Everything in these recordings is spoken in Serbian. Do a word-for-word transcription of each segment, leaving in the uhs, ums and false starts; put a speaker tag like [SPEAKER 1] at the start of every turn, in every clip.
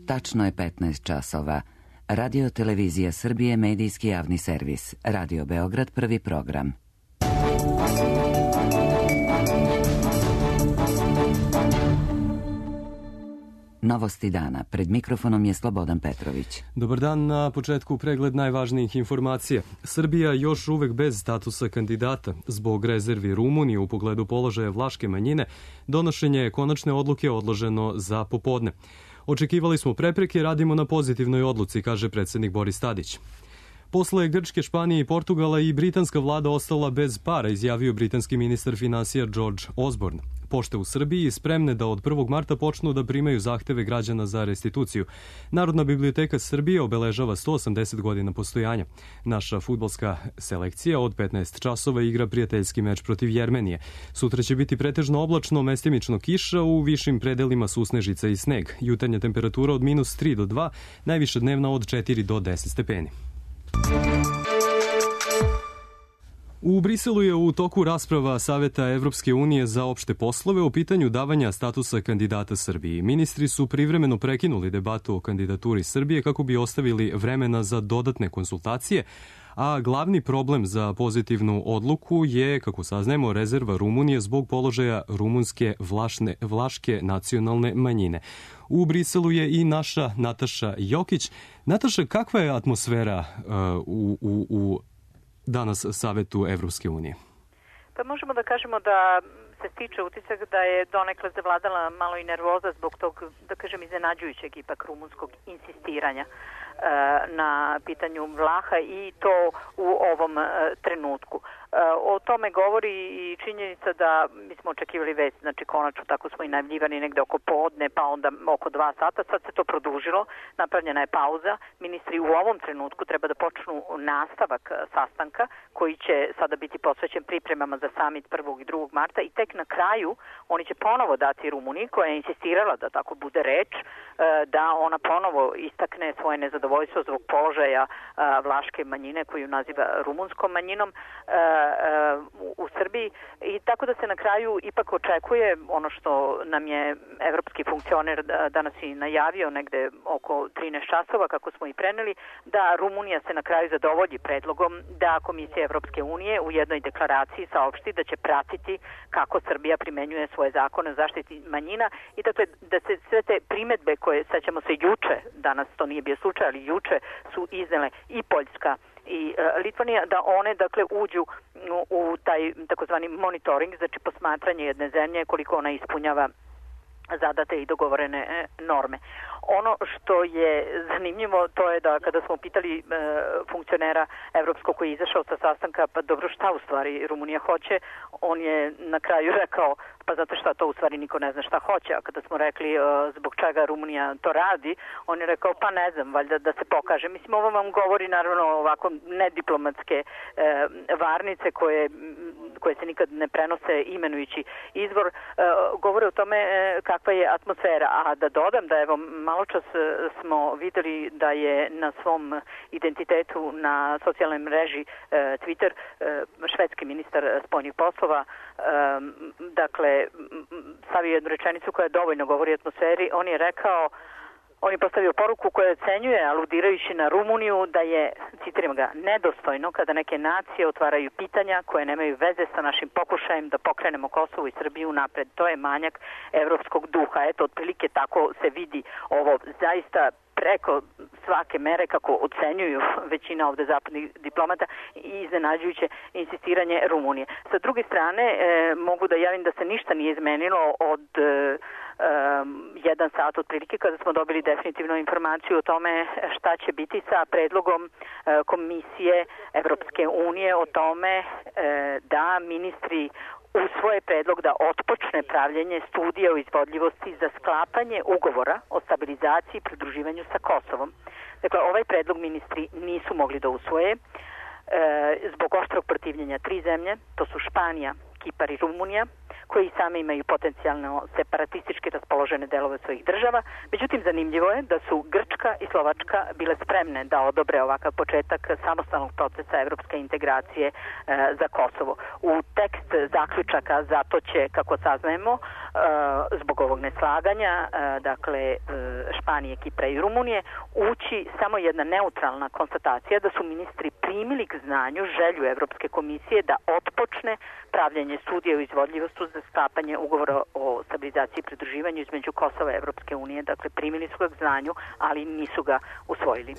[SPEAKER 1] Tačno je petnaest časova. Radio Televizija Srbije, medijski javni servis. Radio Beograd, prvi program. Novosti dana. Pred mikrofonom je Slobodan Petrović.
[SPEAKER 2] Dobar dan, na početku pregled najvažnijih informacija. Srbija još uvek bez statusa kandidata. Zbog rezervi Rumunije u pogledu položaja vlaške manjine, donošenje konačne odluke odloženo za popodne. Očekivali smo prepreke, radimo na pozitivnoj odluci, kaže predsednik Boris Tadić. Posle Grčke, Španije i Portugala i britanska vlada ostala bez para, izjavio britanski ministar finansija George Osborne. Pošte u Srbiji spremne da od prvog marta počnu da primaju zahteve građana za restituciju. Narodna biblioteka Srbije obeležava sto osamdeset godina postojanja. Naša fudbalska selekcija od petnaest časova igra prijateljski meč protiv Jermenije. Sutra će biti pretežno oblačno, mestimično kiša, u višim predelima susnežica i sneg. Jutarnja temperatura od minus tri do dva, najviša dnevna od četiri do deset stepeni. U Briselu je u toku rasprava Saveta Evropske unije za opšte poslove o pitanju davanja statusa kandidata Srbiji. Ministri su privremeno prekinuli debatu o kandidaturi Srbije kako bi ostavili vremena za dodatne konsultacije, a glavni problem za pozitivnu odluku je, kako saznajemo, rezerva Rumunije zbog položaja rumunske vlašne, vlaške nacionalne manjine. U Briselu je i naša Nataša Jokić. Nataša, kakva je atmosfera uh, u, u, u danas Savetu Evropske unije?
[SPEAKER 3] Pa možemo da kažemo da se stiče utisak da je donekle zavladala malo i nervoza zbog tog, da kažem, iznenađujućeg ipak rumunskog insistiranja e, na pitanju Vlaha i to u ovom e, trenutku. E, o tome govori i činjenica da mi smo očekivali već, znači konačno tako smo i najavljivani negde oko podne, pa onda oko dva sata, sad se to produžilo, napravljena je pauza. Ministri u ovom trenutku treba da počnu nastavak sastanka koji će sada biti posvećen pripremama za samit prvog i drugog marta i tek na kraju oni će ponovo dati Rumuniji, koja je insistirala da tako bude reč, da ona ponovo istakne svoje nezadovoljstvo zbog položaja vlaške manjine koju naziva rumunskom manjinom u Srbiji, i tako da se na kraju ipak očekuje ono što nam je evropski funkcioner danas i najavio negde oko trinaest časova, kako smo i preneli, da Rumunija se na kraju zadovolji predlogom da Komisija Evropske unije u jednoj deklaraciji saopšti da će pratiti kako Srbija primenjuje svoje zakone o zaštiti manjina i dakle da se sve te primetbe koje, sećamo se juče, danas to nije bio slučaj, ali juče su iznele i Poljska i uh, Litvanija, da one dakle uđu u, u taj takozvani monitoring, znači posmatranje jedne zemlje koliko ona ispunjava zadate i dogovorene e, norme. Ono što je zanimljivo, to je da kada smo pitali e, funkcionera evropskog koji je izašao sa sastanka, pa dobro, šta u stvari Rumunija hoće, on je na kraju rekao, pa zato šta to u stvari niko ne zna šta hoće, a kada smo rekli e, zbog čega Rumunija to radi, on je rekao, pa ne znam, valjda da se pokaže. Mislim, ovo vam govori naravno ovako nediplomatske e, varnice koje, koje se nikad ne prenose imenujući izvor, e, govore o tome e, kakva je atmosfera. A da dodam da evo malo čas smo videli da je na svom identitetu na socijalnoj mreži e, Twitter e, švedski ministar spoljnih poslova e, dakle stavio jednu rečenicu koja dovoljno govori o atmosferi. On je rekao, on je postavio poruku koja ocenjuje, aludirajući na Rumuniju, da je, citiram ga, nedostojno kada neke nacije otvaraju pitanja koje nemaju veze sa našim pokušajem da pokrenemo Kosovo i Srbiju napred. To je manjak evropskog duha. Eto, otprilike tako se vidi ovo zaista preko svake mere kako ocenjuju većina ovde zapadnih diplomata i iznenađujuće insistiranje Rumunije. Sa druge strane, e, mogu da javim da se ništa nije izmenilo od e, Um, jedan sat otprilike kada smo dobili definitivnu informaciju o tome šta će biti sa predlogom uh, Komisije Evropske unije o tome uh, da ministri usvoje predlog da otpočne pravljenje studija o izvodljivosti za sklapanje ugovora o stabilizaciji i pridruživanju sa Kosovom. Dakle, ovaj predlog ministri nisu mogli da usvoje uh, zbog oštrog protivljenja tri zemlje, to su Španija, Kipar i Rumunija, koji same imaju potencijalno separatistički raspoložene delove svojih država. Međutim, zanimljivo je da su Grčka i Slovačka bile spremne da odobre ovakav početak samostalnog procesa evropske integracije e, za Kosovo. U tekst zaključaka zato će, kako saznajemo, zbog ovog neslaganja, dakle Španije, Kipra i Rumunije, ući samo jedna neutralna konstatacija da su ministri primili k znanju želju Evropske komisije da otpočne pravljenje studije o izvodljivosti za sklapanje ugovora o stabilizaciji i pridruživanju između Kosova i Evropske unije. Dakle, primili su ga k znanju, ali nisu ga usvojili.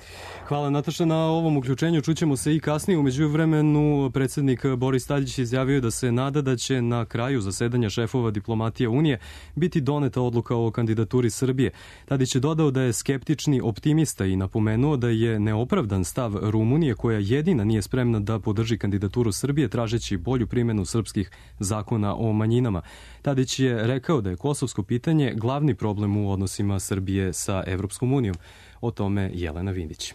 [SPEAKER 2] Hvala, Nataša, na ovom uključenju. Čućemo se i kasnije. U međuvremenu predsjednik Boris Tadić izjavio da se nada da će na kraju zasedanja šefova diplomatije Unije biti doneta odluka o kandidaturi Srbije. Tadić je dodao da je skeptični optimista i napomenuo da je neopravdan stav Rumunije, koja jedina nije spremna da podrži kandidaturu Srbije tražeći bolju primjenu srpskih zakona o manjinama. Tadić je rekao da je kosovsko pitanje glavni problem u odnosima Srbije sa Evropskom unijom. O tome Jelena Vindić.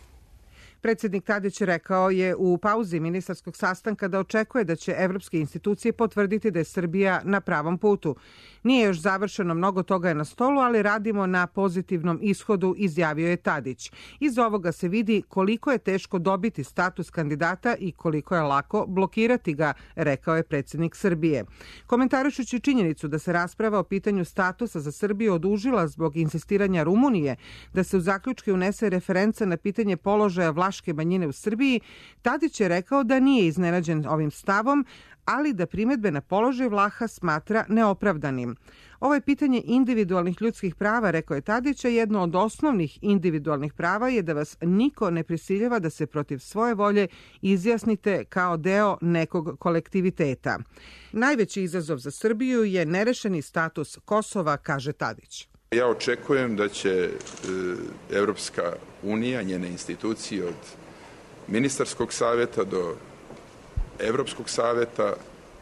[SPEAKER 4] Predsjednik Tadić rekao je u pauzi ministarskog sastanka da očekuje da će evropske institucije potvrditi da je Srbija na pravom putu. Nije još završeno, mnogo toga je na stolu, ali radimo na pozitivnom ishodu, izjavio je Tadić. Iz ovoga se vidi koliko je teško dobiti status kandidata i koliko je lako blokirati ga, rekao je predsjednik Srbije. Komentarišući činjenicu da se rasprava o pitanju statusa za Srbiju odužila zbog insistiranja Rumunije da se u zaključke unese referenca na pitanje položaja vlaške manjine u Srbiji, Tadić je rekao da nije iznenađen ovim stavom, ali da primedbe na položaj Vlaha smatra neopravdanim. Ovo je pitanje individualnih ljudskih prava, rekao je Tadić, a jedno od osnovnih individualnih prava je da vas niko ne prisiljava da se protiv svoje volje izjasnite kao deo nekog kolektiviteta. Najveći izazov za Srbiju je nerešeni status Kosova, kaže Tadić.
[SPEAKER 5] Ja očekujem da će Evropska unija, njene institucije od ministarskog savjeta do Evropskog savjeta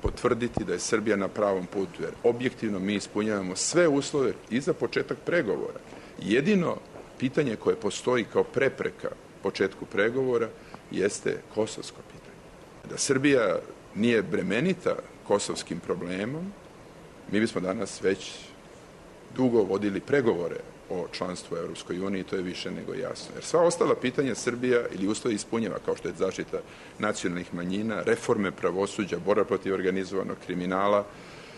[SPEAKER 5] potvrditi da je Srbija na pravom putu, jer objektivno mi ispunjavamo sve uslove i za početak pregovora. Jedino pitanje koje postoji kao prepreka početku pregovora jeste kosovsko pitanje. Da Srbija nije bremenita kosovskim problemom, mi bismo danas već dugo vodili pregovore o članstvu u Evropskoj uniji, to je više nego jasno. Jer sva ostala pitanja Srbija ili uslovi ispunjava, kao što je zaštita nacionalnih manjina, reforme pravosuđa, borba protiv organizovanog kriminala,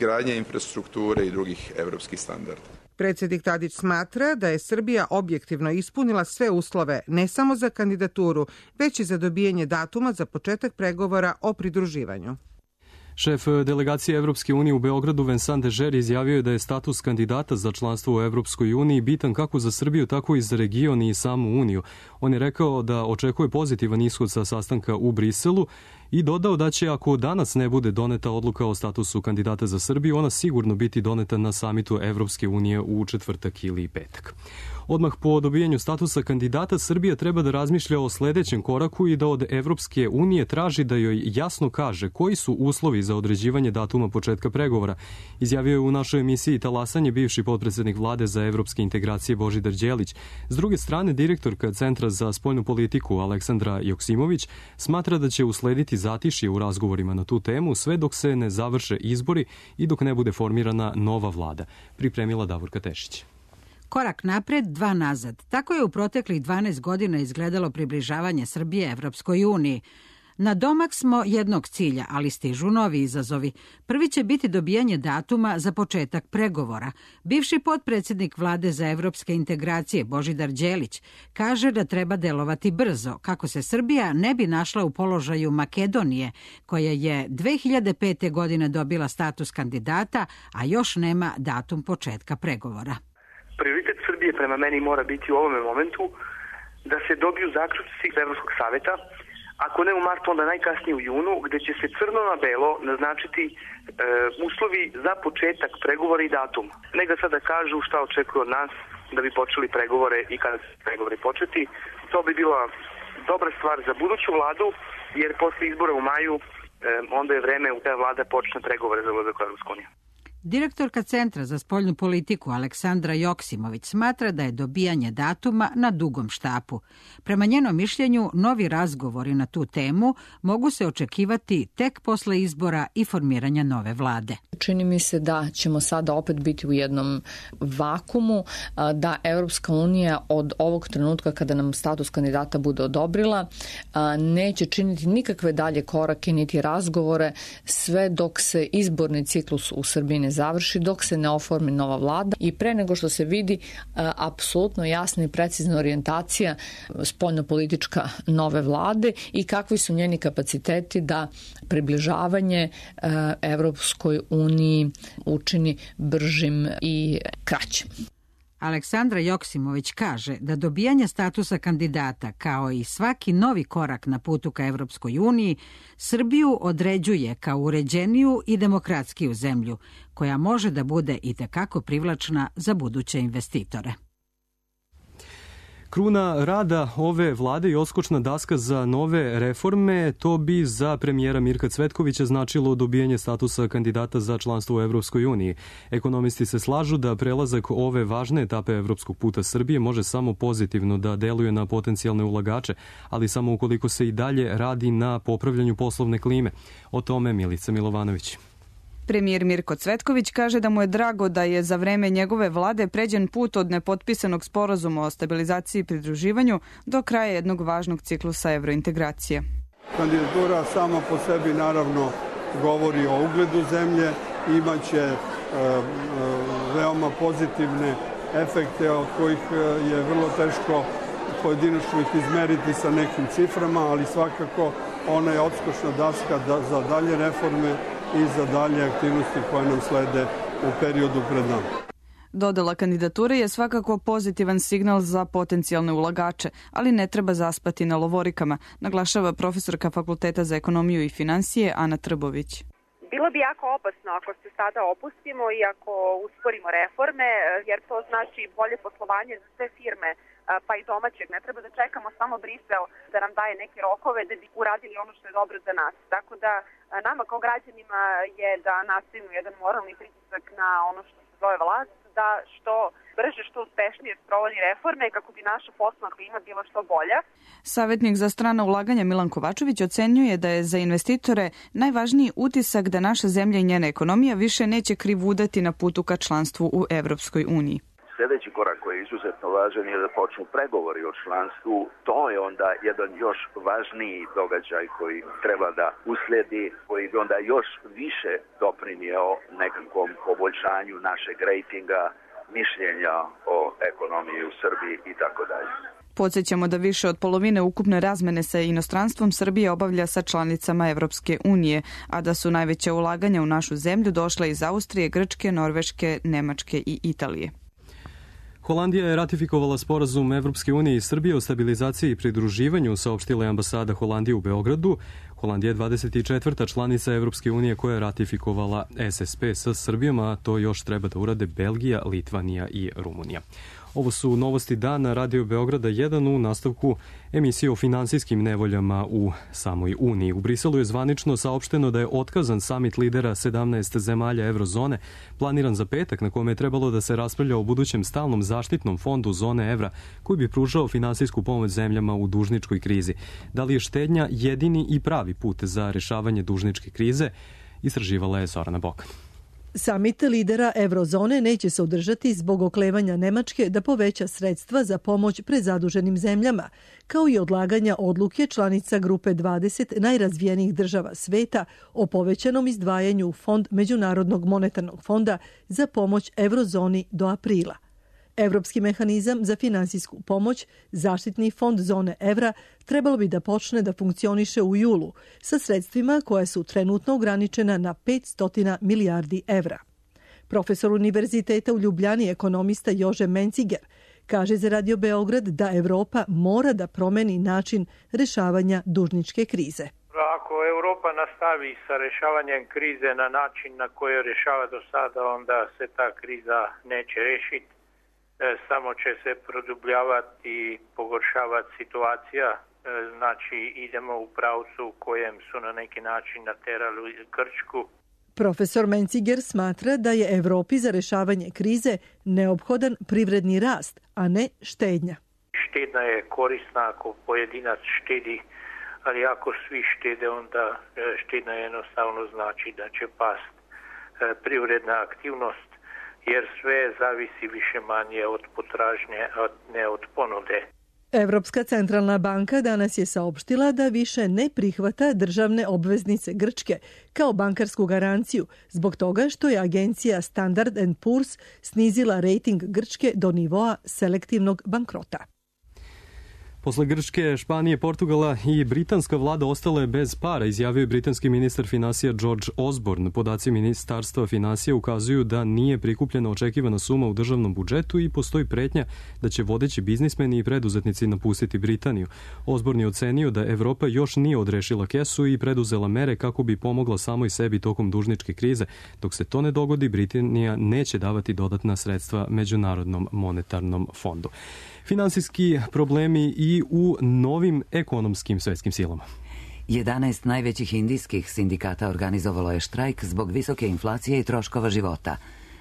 [SPEAKER 5] gradnja infrastrukture i drugih evropskih standarda.
[SPEAKER 4] Predsjednik Tadić smatra da je Srbija objektivno ispunila sve uslove ne samo za kandidaturu, već i za dobijanje datuma za početak pregovora o pridruživanju.
[SPEAKER 2] Šef delegacije Evropske unije u Beogradu Vincent Dežer izjavio je da je status kandidata za članstvo u Evropskoj uniji bitan kako za Srbiju, tako i za region i samu Uniju. On je rekao da očekuje pozitivan ishod sa sastanka u Briselu i dodao da će, ako danas ne bude doneta odluka o statusu kandidata za Srbiju, ona sigurno biti doneta na samitu Evropske unije u četvrtak ili petak. Odmah po dobijanju statusa kandidata, Srbija treba da razmišlja o sledećem koraku i da od Evropske unije traži da joj jasno kaže koji su uslovi za određivanje datuma početka pregovora. Izjavio je u našoj emisiji Talasanje bivši potpredsednik vlade za evropske integracije Božidar Đelić. S druge strane, direktorka Centra za spoljnu politiku Aleksandra Joksimović smatra da će uslediti zatišje u razgovorima na tu temu sve dok se ne završe izbori i dok ne bude formirana nova vlada. Pripremila Davorka Tešić.
[SPEAKER 6] Korak napred, dva nazad. Tako je u proteklih dvanaest godina izgledalo približavanje Srbije Evropskoj uniji. Na domak smo jednog cilja, ali stižu novi izazovi. Prvi će biti dobijanje datuma za početak pregovora. Bivši potpredsjednik vlade za evropske integracije Božidar Đelić kaže da treba delovati brzo, kako se Srbija ne bi našla u položaju Makedonije, koja je dve hiljade pete. godine dobila status kandidata, a još nema datum početka pregovora.
[SPEAKER 7] Prioritet Srbije prema meni mora biti u ovome momentu da se dobiju zaključci Evropskog savjeta, ako ne u martu, onda najkasnije u junu, gde će se crno na belo naznačiti e, uslovi za početak pregovora i datum. Neka sada kažu šta očekuje od nas da bi počeli pregovore i kada se pregovori početi. To bi bila dobra stvar za buduću vladu, jer posle izbora u maju e, onda je vreme u te vlada počne pregovore za ulazak u Evropsku uniju.
[SPEAKER 6] Direktorka Centra za spoljnu politiku Aleksandra Joksimović smatra da je dobijanje datuma na dugom štapu. Prema njenom mišljenju, novi razgovori na tu temu mogu se očekivati tek posle izbora i formiranja nove vlade.
[SPEAKER 8] Čini mi se da ćemo sada opet biti u jednom vakumu, da Evropska unija od ovog trenutka kada nam status kandidata bude odobrila neće činiti nikakve dalje korake niti razgovore sve dok se izborni ciklus u Srbiji ne završi, dok se ne oformi nova vlada i pre nego što se vidi apsolutno jasna i precizna orijentacija spoljnopolitička nove vlade i kakvi su njeni kapaciteti da približavanje Evropskoj uniji učini bržim i kraćim.
[SPEAKER 6] Aleksandra Joksimović kaže da dobijanje statusa kandidata, kao i svaki novi korak na putu ka Evropskoj uniji, Srbiju određuje kao uređeniju i demokratskiju zemlju, koja može da bude i tekako privlačna za buduće investitore.
[SPEAKER 2] Kruna rada ove vlade i odskočna daska za nove reforme, to bi za premijera Mirka Cvetkovića značilo dobijanje statusa kandidata za članstvo u Evropskoj uniji. Ekonomisti se slažu da prelazak ove važne etape evropskog puta Srbije može samo pozitivno da deluje na potencijalne ulagače, ali samo ukoliko se i dalje radi na popravljanju poslovne klime. O tome Milica Milovanović.
[SPEAKER 9] Premijer Mirko Cvetković kaže da mu je drago da je za vreme njegove vlade pređen put od nepotpisanog sporazuma o stabilizaciji i pridruživanju do kraja jednog važnog ciklusa evrointegracije.
[SPEAKER 10] Kandidatura sama po sebi naravno govori o ugledu zemlje, imaće e, e, veoma pozitivne efekte od kojih je vrlo teško pojedinačno ih izmeriti sa nekim ciframa, ali svakako ona je odskočna daska da, za dalje reforme i za dalje aktivnosti koje nam slede u periodu pred nama.
[SPEAKER 9] Dodala kandidature je svakako pozitivan signal za potencijalne ulagače, ali ne treba zaspati na lovorikama, naglašava profesorka Fakulteta za ekonomiju i finansije Ana Trbović.
[SPEAKER 11] Bilo bi jako opasno ako se sada opustimo i ako usporimo reforme, jer to znači bolje poslovanje za sve firme, pa i domaćeg. Ne treba da čekamo samo Brisel da nam daje neke rokove da bi uradili ono što je dobro za nas. Tako da nama kao građanima je da nastavimo jedan moralni pritisak na ono što se zove vlast, da što brže, što uspešnije sprovodi reforme kako bi naša poslovna klima bila što bolja.
[SPEAKER 9] Savetnik za strana ulaganja Milan Kovačević ocenjuje da je za investitore najvažniji utisak da naša zemlja i njena ekonomija više neće krivudati na putu ka članstvu u Evropskoj uniji.
[SPEAKER 12] Sljedeći korak koji je izuzetno važan je da počnu pregovori o članstvu. To je onda jedan još važniji događaj koji treba da uslijedi, koji bi onda još više doprinio nekakvom poboljšanju našeg rejtinga, mišljenja o ekonomiji u Srbiji i tako dalje.
[SPEAKER 9] Podsjećamo da više od polovine ukupne razmene sa inostranstvom Srbije obavlja sa članicama Evropske unije, a da su najveća ulaganja u našu zemlju došla iz Austrije, Grčke, Norveške, Nemačke i Italije.
[SPEAKER 2] Holandija je ratifikovala sporazum Evropske unije i Srbije o stabilizaciji i pridruživanju, saopštila je ambasada Holandije u Beogradu. Holandija je dvadeset četvrta članica Evropske unije koja je ratifikovala S S P sa Srbijom, a to još treba da urade Belgija, Litvanija i Rumunija. Ovo su novosti dana Radio Beograda jedan u nastavku emisije o finansijskim nevoljama u samoj Uniji. U Briselu je zvanično saopšteno da je otkazan samit lidera sedamnaest zemalja Evrozone, planiran za petak, na kome je trebalo da se raspravlja o budućem stalnom zaštitnom fondu zone evra koji bi pružao finansijsku pomoć zemljama u dužničkoj krizi. Da li je štednja jedini i pravi put za rešavanje dužničke krize? Istraživala je Zorana Bokan.
[SPEAKER 13] Samit lidera Evrozone neće se održati zbog oklevanja Nemačke da poveća sredstva za pomoć prezaduženim zemljama, kao i odlaganja odluke članica grupe dvadeset najrazvijenijih država sveta o povećanom izdvajanju u fond Međunarodnog monetarnog fonda za pomoć Evrozoni do aprila. Evropski mehanizam za finansijsku pomoć, zaštitni fond zone evra, trebalo bi da počne da funkcioniše u julu sa sredstvima koja su trenutno ograničena na petsto milijardi evra. Profesor Univerziteta u Ljubljani, ekonomista Jože Menciger, kaže za Radio Beograd da Evropa mora da promeni način rešavanja dužničke krize.
[SPEAKER 14] Ako Evropa nastavi sa rešavanjem krize na način na koji rešava do sada, onda se ta kriza neće rešiti. Samo će se produbljavati i pogoršavati situacija, znači idemo u pravcu u kojem su na neki način naterali Grčku.
[SPEAKER 13] Profesor Menciger smatra da je Evropi za rešavanje krize neophodan privredni rast, a ne štednja.
[SPEAKER 14] Štednja je korisna ako pojedinac štedi, ali ako svi štede, onda štednja jednostavno znači da će past privredna aktivnost, jer sve zavisi više manje od potražnje, a ne od ponude.
[SPEAKER 13] Evropska centralna banka danas je saopštila da više ne prihvata državne obveznice Grčke kao bankarsku garanciju zbog toga što je agencija Standard and Poor's snizila rejting Grčke do nivoa selektivnog bankrota.
[SPEAKER 2] Posle Grčke, Španije, Portugala i britanska vlada ostale bez para, izjavio je britanski ministar finansija George Osborne. Podaci ministarstva finansija ukazuju da nije prikupljena očekivana suma u državnom budžetu i postoji pretnja da će vodeći biznismeni i preduzetnici napustiti Britaniju. Osborne je ocenio da Evropa još nije odrešila kesu i preduzela mere kako bi pomogla samoj sebi tokom dužničke krize. Dok se to ne dogodi, Britanija neće davati dodatna sredstva Međunarodnom monetarnom fondu. Finansijski problemi i u novim ekonomskim svetskim silama.
[SPEAKER 1] jedanaest najvećih indijskih sindikata organizovalo je štrajk zbog visoke inflacije i troškova života.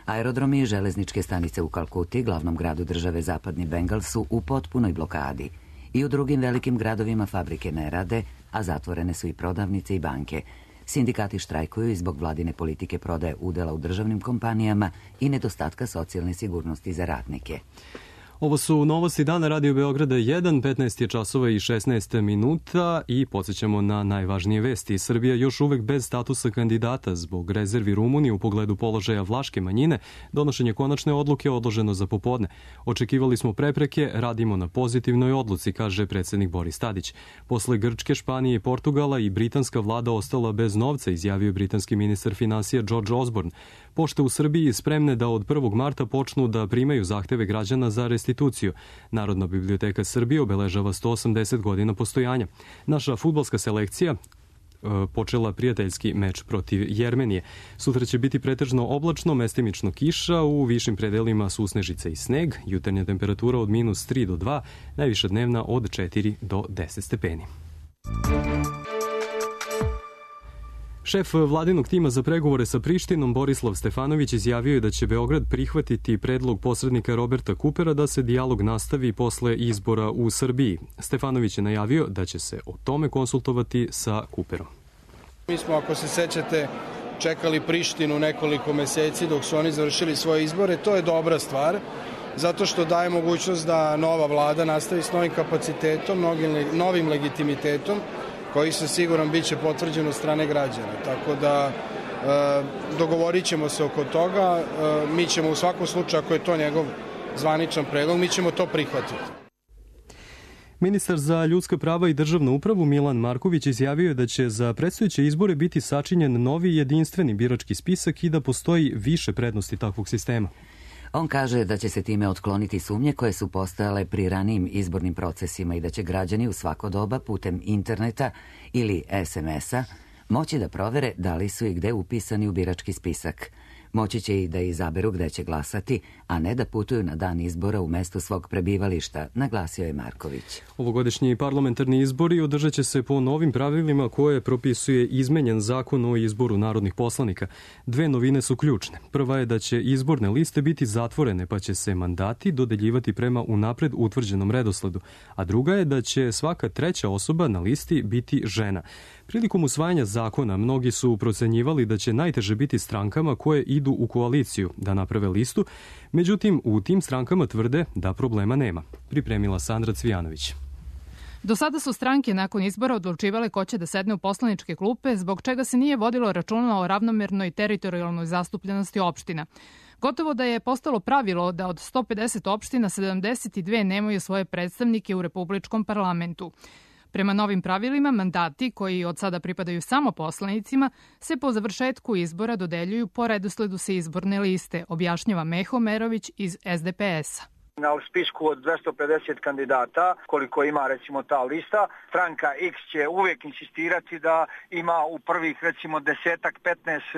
[SPEAKER 1] Aerodromi i železničke stanice u Kalkuti, glavnom gradu države Zapadni Bengal, su u potpunoj blokadi. I u drugim velikim gradovima fabrike ne rade, a zatvorene su i prodavnice i banke. Sindikati štrajkuju i zbog vladine politike prodaje udela u državnim kompanijama i nedostatka socijalne sigurnosti za radnike.
[SPEAKER 2] Ovo su novosti dana Radio Beograda jedan, petnaest je časova i šesnaest minuta i podsjećamo na najvažnije vesti. Srbija još uvek bez statusa kandidata zbog rezervi Rumunije u pogledu položaja vlaške manjine. Donošenje konačne odluke odloženo za popodne. Očekivali smo prepreke, radimo na pozitivnoj odluci, kaže predsednik Boris Tadić. Posle Grčke, Španije i Portugala i britanska vlada ostala bez novca, izjavio je britanski ministar finansija George Osborne. Pošte u Srbiji spremne da od prvog marta počnu da primaju zahteve građana za restituciju. Narodna biblioteka Srbije obeležava sto osamdeset godina postojanja. Naša fudbalska selekcija počela prijateljski meč protiv Jermenije. Sutra će biti pretežno oblačno, mestimično kiša, u višim predelima susnežice i sneg, jutarnja temperatura od minus tri do dva, najviša dnevna od četiri do deset stepeni. Šef vladinog tima za pregovore sa Prištinom, Borislav Stefanović, izjavio je da će Beograd prihvatiti predlog posrednika Roberta Kupera da se dijalog nastavi posle izbora u Srbiji. Stefanović je najavio da će se o tome konsultovati sa Kuperom.
[SPEAKER 15] Mi smo, ako se sećate, čekali Prištinu nekoliko meseci dok su oni završili svoje izbore. To je dobra stvar, zato što daje mogućnost da nova vlada nastavi s novim kapacitetom, novim legitimitetom, koji se siguran bit će potvrđen od strane građana. Tako da e, dogovorit ćemo se oko toga. E, mi ćemo u svakom slučaju, ako je to njegov zvaničan predlog, mi ćemo to prihvatiti.
[SPEAKER 2] Ministar za ljudska prava i državnu upravu Milan Marković izjavio je da će za predstojeće izbore biti sačinjen novi jedinstveni birački spisak i da postoji više prednosti takvog sistema.
[SPEAKER 1] On kaže da će se time otkloniti sumnje koje su postojale pri ranijim izbornim procesima i da će građani u svako doba putem interneta ili es em es-a moći da provere da li su i gde upisani u birački spisak. Moći će i da izaberu gde će glasati, a ne da putuju na dan izbora u mestu svog prebivališta, naglasio je Marković.
[SPEAKER 2] Ovogodišnji parlamentarni izbori održat će se po novim pravilima koje propisuje izmenjen zakon o izboru narodnih poslanika. Dve novine su ključne. Prva je da će izborne liste biti zatvorene, pa će se mandati dodeljivati prema unapred utvrđenom redosledu, a druga je da će svaka treća osoba na listi biti žena. Prilikom usvajanja zakona mnogi su procenjivali da će najteže biti strankama koje idu u koaliciju da naprave listu, međutim u tim strankama tvrde da problema nema. Pripremila Sandra Cvijanović.
[SPEAKER 16] Do sada su stranke nakon izbora odlučivale ko će da sedne u poslaničke klupe, zbog čega se nije vodilo računa o ravnomernoj teritorijalnoj zastupljenosti opština. Gotovo da je postalo pravilo da od sto pedeset opština sedamdeset dve nemaju svoje predstavnike u Republičkom parlamentu. Prema novim pravilima, mandati koji od sada pripadaju samo poslanicima se po završetku izbora dodeljuju po redosledu sa izborne liste, objašnjava Meho Merović iz es de pe es-a.
[SPEAKER 17] Na spisku od dvesta pedeset kandidata, koliko ima recimo ta lista, stranka X će uvijek insistirati da ima u prvih recimo desetak, petnaest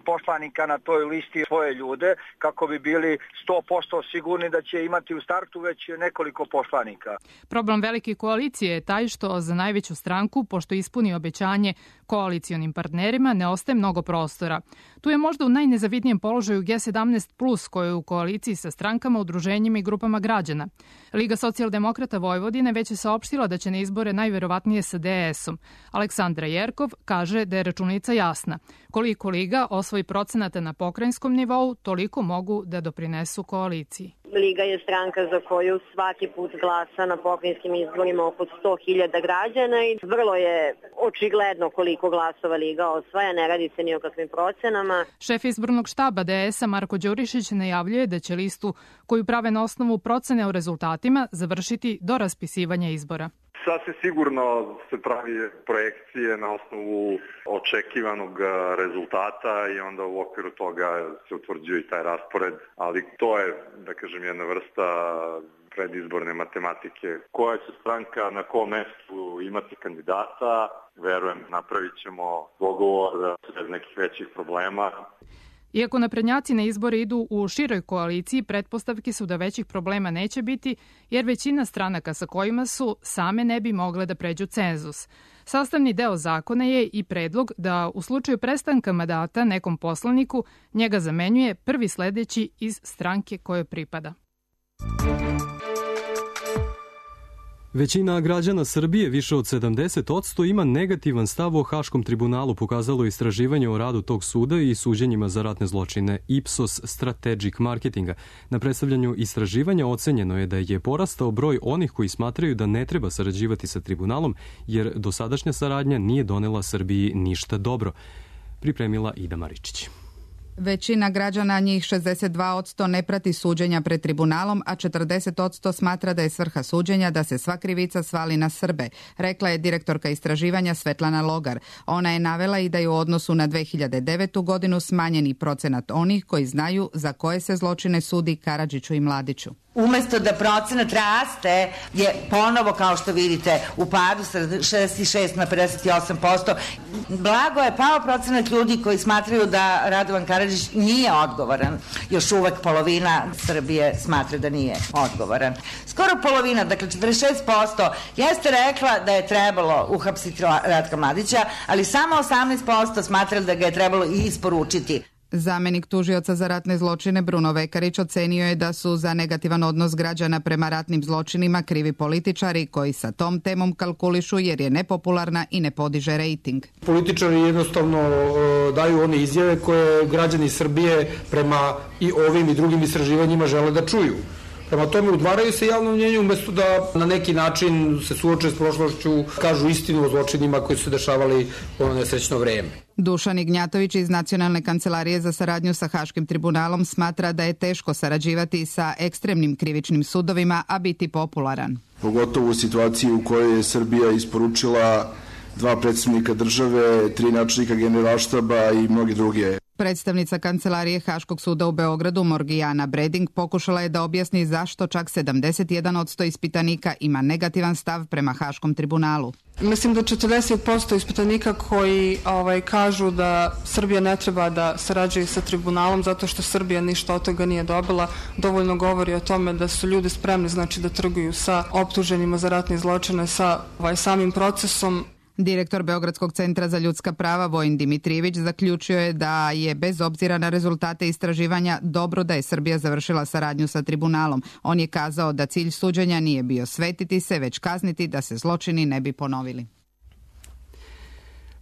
[SPEAKER 17] poslanika na toj listi svoje ljude, kako bi bili sto posto sigurni da će imati u startu već nekoliko poslanika.
[SPEAKER 16] Problem velike koalicije je taj što za najveću stranku, pošto ispuni obećanje koalicionim partnerima, ne ostaje mnogo prostora. Tu je možda u najnezavidnijem položaju Ge sedamnaest plus, koji je u koaliciji sa strankama, udruženjima i grupama građana. Liga socijaldemokrata Vojvodine već je saopštila da će na izbore najverovatnije sa de es-om. Aleksandra Jerkov kaže da je računica jasna. Koliko Liga osvoji procenata na pokrajinskom nivou, toliko mogu da doprinesu koaliciji.
[SPEAKER 18] Liga je stranka za koju svaki put glasa na pokrajinskim izborima oko sto hiljada građana i vrlo je očigledno koliko glasova Liga osvaja, ne radi se ni o kakvim procenama.
[SPEAKER 16] Šef izbornog štaba D S-a Marko Đurišić najavljuje da će listu koju prave na osnovu procene o rezultatima završiti do raspisivanja izbora.
[SPEAKER 19] Sasvim sigurno se pravi projekcije na osnovu očekivanog rezultata i onda u okviru toga se utvrđuje i taj raspored, ali to je, da kažem, jedna vrsta predizborne matematike. Koja će stranka na kom mestu imati kandidata, verujem, napravit ćemo dogovor bez nekih većih problema.
[SPEAKER 16] Iako naprednjaci na izbore idu u široj koaliciji, pretpostavke su da većih problema neće biti, jer većina stranaka sa kojima su same ne bi mogle da pređu cenzus. Sastavni deo zakona je i predlog da u slučaju prestanka mandata nekom poslaniku njega zamenjuje prvi sledeći iz stranke kojoj pripada.
[SPEAKER 2] Većina građana Srbije, više od sedamdeset posto, ima negativan stav o Haškom tribunalu, pokazalo istraživanje o radu tog suda i suđenjima za ratne zločine Ipsos Strategic Marketinga. Na predstavljanju istraživanja ocenjeno je da je porastao broj onih koji smatraju da ne treba sarađivati sa tribunalom, jer dosadašnja saradnja nije donela Srbiji ništa dobro. Pripremila Ida Maričić.
[SPEAKER 20] Većina građana, njih šezdeset dva posto, ne prati suđenja pred tribunalom, a četrdeset posto smatra da je svrha suđenja da se sva krivica svali na Srbe, rekla je direktorka istraživanja Svetlana Logar. Ona je navela i da je u odnosu na dve hiljade devetu godinu smanjeni procenat onih koji znaju za koje se zločine sudi Karadžiću i Mladiću.
[SPEAKER 21] Umesto da procenat raste, je ponovo, kao što vidite, u padu sa šezdeset šest na pedeset osam posto. Blago je pao procenat ljudi koji smatraju da Radovan Karadžić nije odgovoran. Još uvek polovina Srbije smatra da nije odgovoran. Skoro polovina, dakle četrdeset šest posto, jeste rekla da je trebalo uhapsiti Ratka Mladića, ali samo osamnaest posto smatra da ga je trebalo i isporučiti.
[SPEAKER 20] Zamenik tužioca za ratne zločine Bruno Vekarić ocenio je da su za negativan odnos građana prema ratnim zločinima krivi političari koji sa tom temom kalkulišu jer je nepopularna i ne podiže rejting.
[SPEAKER 22] Političari jednostavno daju one izjave koje građani Srbije prema i ovim i drugim istraživanjima žele da čuju. Prema tome udvaraju se javnom mnjenju umesto da na neki način se suoče s prošlošću, kažu istinu o zločinima koji su se dešavali u ono nesrećno vreme.
[SPEAKER 20] Dušan Ignjatović iz Nacionalne kancelarije za saradnju sa Haškim tribunalom smatra da je teško sarađivati sa ekstremnim krivičnim sudovima, a biti popularan.
[SPEAKER 23] Pogotovo u situaciji u kojoj je Srbija isporučila dva predstavnika države, tri načelnika generalštaba i mnogi druge.
[SPEAKER 20] Predstavnica Kancelarije Haškog suda u Beogradu Morgijana Breding pokušala je da objasni zašto čak sedamdeset jedan posto ispitanika ima negativan stav prema Haškom tribunalu.
[SPEAKER 24] Mislim da četrdeset posto ispitanika koji ovaj, kažu da Srbija ne treba da sarađuje sa tribunalom zato što Srbija ništa od toga nije dobila, dovoljno govori o tome da su ljudi spremni, znači, da trguju sa optuženima za ratne zločine, sa ovaj, samim procesom.
[SPEAKER 20] Direktor Beogradskog centra za ljudska prava Vojin Dimitrijević zaključio je da je bez obzira na rezultate istraživanja dobro da je Srbija završila saradnju sa tribunalom. On je kazao da cilj suđenja nije bio svetiti se, već kazniti da se zločini ne bi ponovili.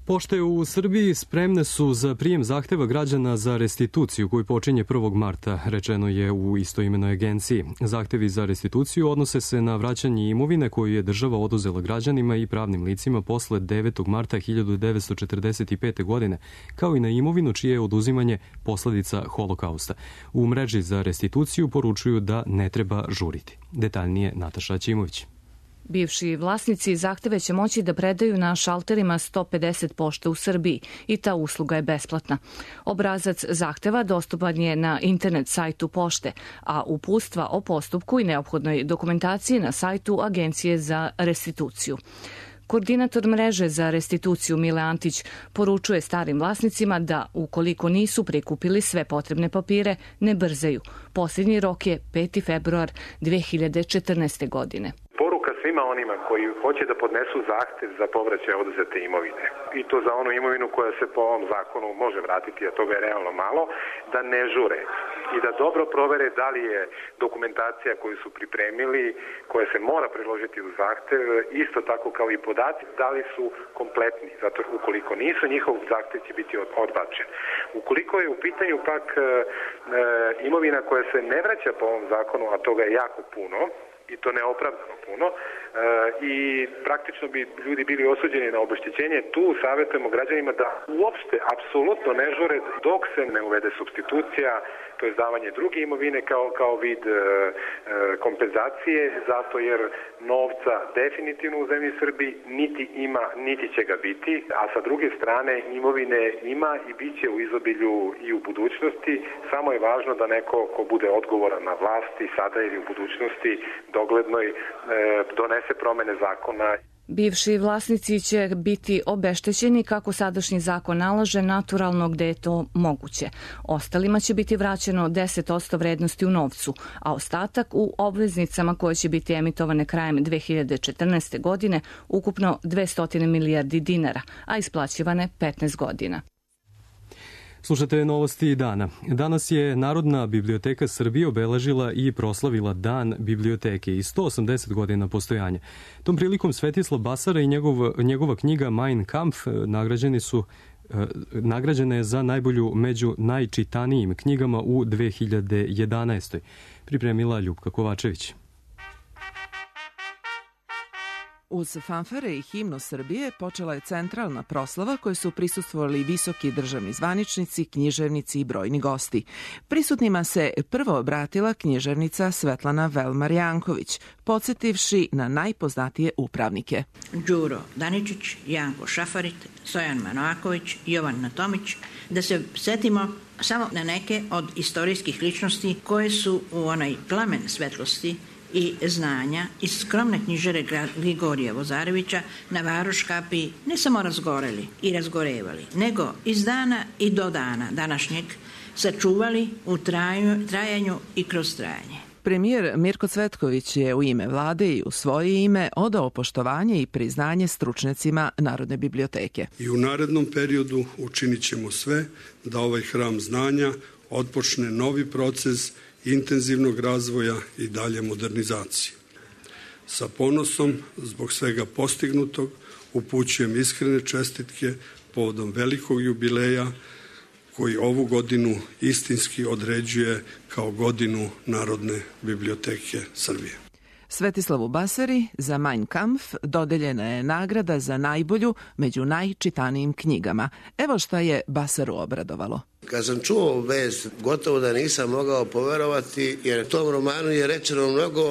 [SPEAKER 2] Pošte u Srbiji spremne su za prijem zahteva građana za restituciju koji počinje prvog marta, rečeno je u istoimenoj agenciji. Zahtevi za restituciju odnose se na vraćanje imovine koju je država oduzela građanima i pravnim licima posle devetog marta hiljadu devetsto četrdeset pete. godine, kao i na imovinu čije je oduzimanje posledica holokausta. U mreži za restituciju poručuju da ne treba žuriti. Detaljnije Nataša Ćimović.
[SPEAKER 25] Bivši vlasnici zahteve će moći da predaju na šalterima sto pedeset pošte u Srbiji i ta usluga je besplatna. Obrazac zahteva dostupan je na internet sajtu pošte, a uputstva o postupku i neophodnoj dokumentaciji na sajtu Agencije za restituciju. Koordinator mreže za restituciju Mile Antić poručuje starim vlasnicima da, ukoliko nisu prikupili sve potrebne papire, ne brzaju. Posljednji rok je peti februar dve hiljade četrnaeste. godine.
[SPEAKER 26] Poruka svim
[SPEAKER 3] svima onima koji hoće da podnesu zahtev za povraćaj oduzete imovine, i to za onu imovinu koja se po ovom zakonu može vratiti, a toga je realno malo, da ne žure i da dobro provere da li je dokumentacija koju su pripremili, koja se mora priložiti u zahtev, isto tako kao i podaci, da li su kompletni, zato ukoliko nisu, njihov zahtev će biti odbačen. Ukoliko je u pitanju pak e, imovina koja se ne vraća po ovom zakonu, a toga je jako puno, i to neopravdano puno, e, i praktično bi ljudi bili osuđeni na obeštećenje, tu savjetujemo građanima da uopšte apsolutno ne žure dok se ne uvede supstitucija, to je davanje druge imovine kao, kao vid e, kompenzacije, zato jer novca definitivno u zemlji Srbiji niti ima, niti će ga biti, a sa druge strane imovine ima i bit će u izobilju i u budućnosti, samo je važno da neko ko bude odgovoran na vlasti sada ili u budućnosti doglednoj e, donese promene zakona.
[SPEAKER 25] Bivši vlasnici će biti obeštećeni kako sadašnji zakon nalaže, naturalno gde je to moguće. Ostalima će biti vraćeno deset posto vrednosti u novcu, a ostatak u obveznicama koje će biti emitovane krajem dve hiljade četrnaeste. godine, ukupno dvesta milijardi dinara, a isplaćivane petnaest godina.
[SPEAKER 2] Slušate novosti dana. Danas je Narodna biblioteka Srbije obeležila i proslavila Dan biblioteke i sto osamdeset godina postojanja. Tom prilikom Svetislav Basara i njegov, njegova knjiga Mein Kampf nagrađeni su nagrađena je za najbolju među najčitanijim knjigama u dve hiljade jedanaestoj. Pripremila Ljupka Kovačević.
[SPEAKER 4] Uz fanfare i himnu Srbije počela je centralna proslava kojoj su prisustvovali visoki državni zvaničnici, književnici i brojni gosti. Prisutnima se prvo obratila književnica Svetlana Velmar-Janković, podsjetivši na najpoznatije upravnike.
[SPEAKER 5] Đuro Daničić, Janko Šafarit, Stojan Manoaković, Jovan Tomić, da se setimo samo na neke od istorijskih ličnosti koje su u onaj plamen svetlosti i znanja iz skromne knjižare Grigorija Vozarevića na Varoš kapiji ne samo razgoreli i razgorevali, nego iz dana i do dana današnjeg sačuvali u trajanju, trajanju i kroz trajanje.
[SPEAKER 4] Premijer Mirko Cvetković je u ime vlade i u svoje ime odao poštovanje i priznanje stručnjacima Narodne biblioteke.
[SPEAKER 10] I u narednom periodu učinit ćemo sve da ovaj hram znanja otpočne novi proces intenzivnog razvoja i dalje modernizacije. Sa ponosom zbog svega postignutog upućujem iskrene čestitke povodom velikog jubileja koji ovu godinu istinski određuje kao godinu Narodne biblioteke Srbije.
[SPEAKER 4] Svetislavu Basari za Mein Kampf dodeljena je nagrada za najbolju među najčitanijim knjigama. Evo šta je Basaru obradovalo.
[SPEAKER 7] Kad sam čuo vest, gotovo da nisam mogao poverovati, jer u tom romanu je rečeno mnogo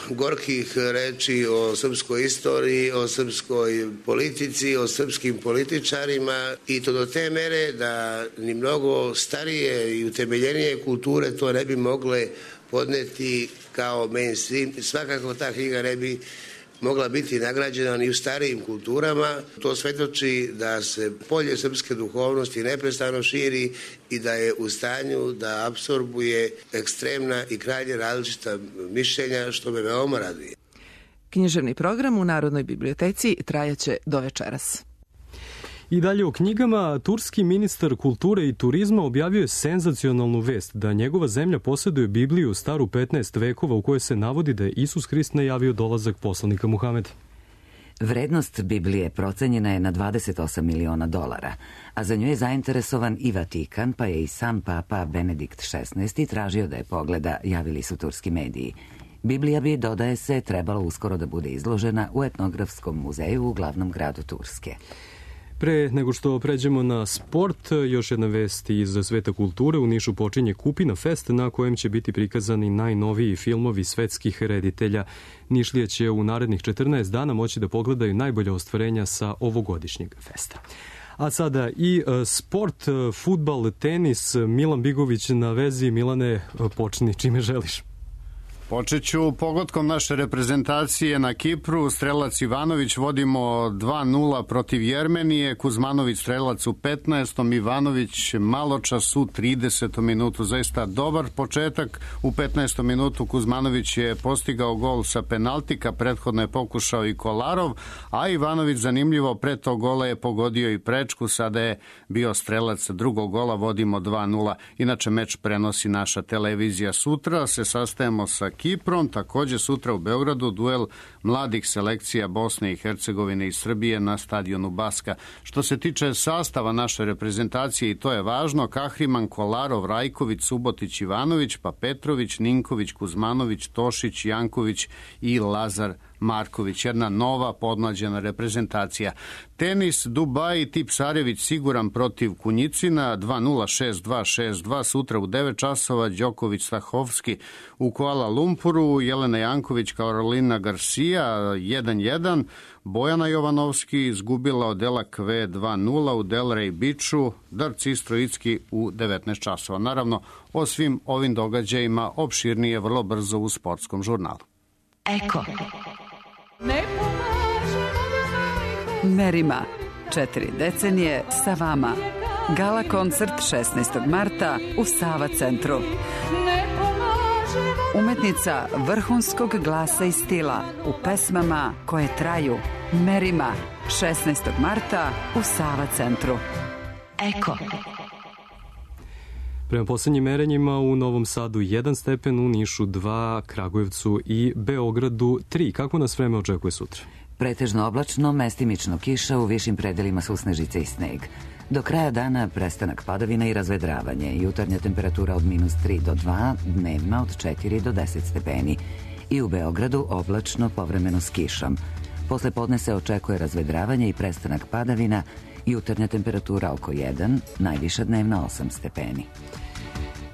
[SPEAKER 7] gorkih reči o srpskoj istoriji, o srpskoj politici, o srpskim političarima, i to do te mere da ni mnogo starije i utemeljenije kulture to ne bi mogle podneti kao mainstream. Svakako ta knjiga ne bi mogla biti nagrađena ni u starijim kulturama. To svedoči da se polje srpske duhovnosti neprestano širi i da je u stanju da apsorbuje ekstremna i krajnje različita mišljenja, što me veoma raduje.
[SPEAKER 4] Književni program u Narodnoj biblioteci trajaće do večeras.
[SPEAKER 2] I dalje o knjigama, turski ministar kulture i turizma objavio je senzacionalnu vest da njegova zemlja posjeduje Bibliju staru petnaest vekova u kojoj se navodi da je Isus Hrist najavio dolazak poslanika Muhameda.
[SPEAKER 1] Vrednost Biblije procenjena je na dvadeset osam miliona dolara, a za nju je zainteresovan i Vatikan, pa je i sam papa Benedikt šesnaesti tražio da je pogleda, javili su turski mediji. Biblija bi, dodaje se, trebalo uskoro da bude izložena u etnografskom muzeju u glavnom gradu Turske.
[SPEAKER 2] Pre nego što pređemo na sport, još jedna vest iz sveta kulture. U Nišu počinje Kupina Fest na kojem će biti prikazani najnoviji filmovi svetskih reditelja. Nišlije će u narednih četrnaest dana moći da pogledaju najbolje ostvarenja sa ovogodišnjeg festa. A sada i sport, fudbal, tenis. Milan Bigović na vezi. Milane, počni čime želiš.
[SPEAKER 6] Počet ću pogodkom naše reprezentacije na Kipru. Strelac Ivanović vodimo dva nula protiv Jermenije. Kuzmanović strelac u petnaestom. Ivanović maločas u tridesetom minutu. Zaista dobar početak. U petnaestom minutu Kuzmanović je postigao gol sa penaltika. Prethodno je pokušao i Kolarov, a Ivanović zanimljivo pre tog gola je pogodio i prečku. Sada je bio strelac drugog gola. Vodimo dva nula. Inače meč prenosi naša televizija. Sutra se sastajemo sa Kiprom, takođe sutra u Beogradu duel mladih selekcija Bosne i Hercegovine i Srbije na stadionu Baska. Što se tiče sastava naše reprezentacije, i to je važno, Kahriman, Kolarov, Rajković, Subotić, Ivanović, pa Petrović, Ninković, Kuzmanović, Tošić, Janković i Lazar Marković, jedna nova podmlađena reprezentacija. Tenis, Dubai, Tipsarević siguran protiv Kunjicina, dva nula, šest dva, šest dva, sutra u devet časova, Đoković, Stahovski u Kuala Lumpuru, Jelena Janković, Karolina Garcia, jedan jedan, Bojana Jovanovski izgubila od Dela Kve dva nula u Delray Beachu, Drc Istroicki u devetnaest časova. Naravno, o svim ovim događajima opširnije vrlo brzo u sportskom žurnalu.
[SPEAKER 8] Eko. Merima. Četiri decenije sa vama. Gala koncert šesnaestog marta u Sava centru. Umetnica vrhunskog glasa i stila u pesmama koje traju. Merima. šesnaestog marta u Sava centru. Eko.
[SPEAKER 2] Prema poslednjim merenjima u Novom Sadu jedan stepen, u Nišu dva, Kragujevcu i Beogradu tri. Kako nas vreme očekuje sutra?
[SPEAKER 1] Pretežno oblačno, mestimično kiša, u višim predelima susnežice i sneg. Do kraja dana prestanak padavina i razvedravanje. Jutarnja temperatura od minus tri do dva, dnevna od četiri do deset stepeni. I u Beogradu oblačno, povremeno s kišom. Posle podne se očekuje razvedravanje i prestanak padavina. Jutarnja temperatura oko jedan, najviša dnevna osam stepeni.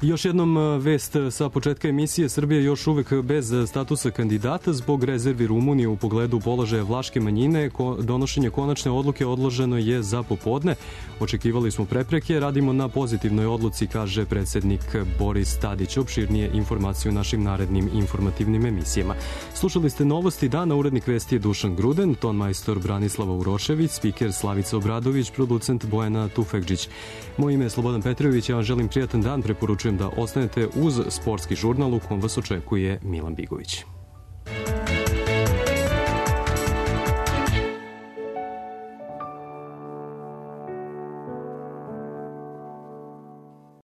[SPEAKER 2] Još jednom vest sa početka emisije. Srbija još uvek bez statusa kandidata zbog rezervi Rumunije u pogledu položaja vlaške manjine. Donošenje konačne odluke odloženo je za popodne. Očekivali smo prepreke, radimo na pozitivnoj odluci, kaže predsednik Boris Tadić. Opširnije informacije u našim narednim informativnim emisijama. Slušali ste novosti dana, urednik vesti je Dušan Gruden, ton majstor Branislava Urošević, spiker Slavica Obradović, producent Bojana Tufekđić. Moje ime je Slobodan Petrović, ja vam želim prijatan dan, preporučujem da ostanete uz sportski žurnal u kom vas očekuje Milan Bigović.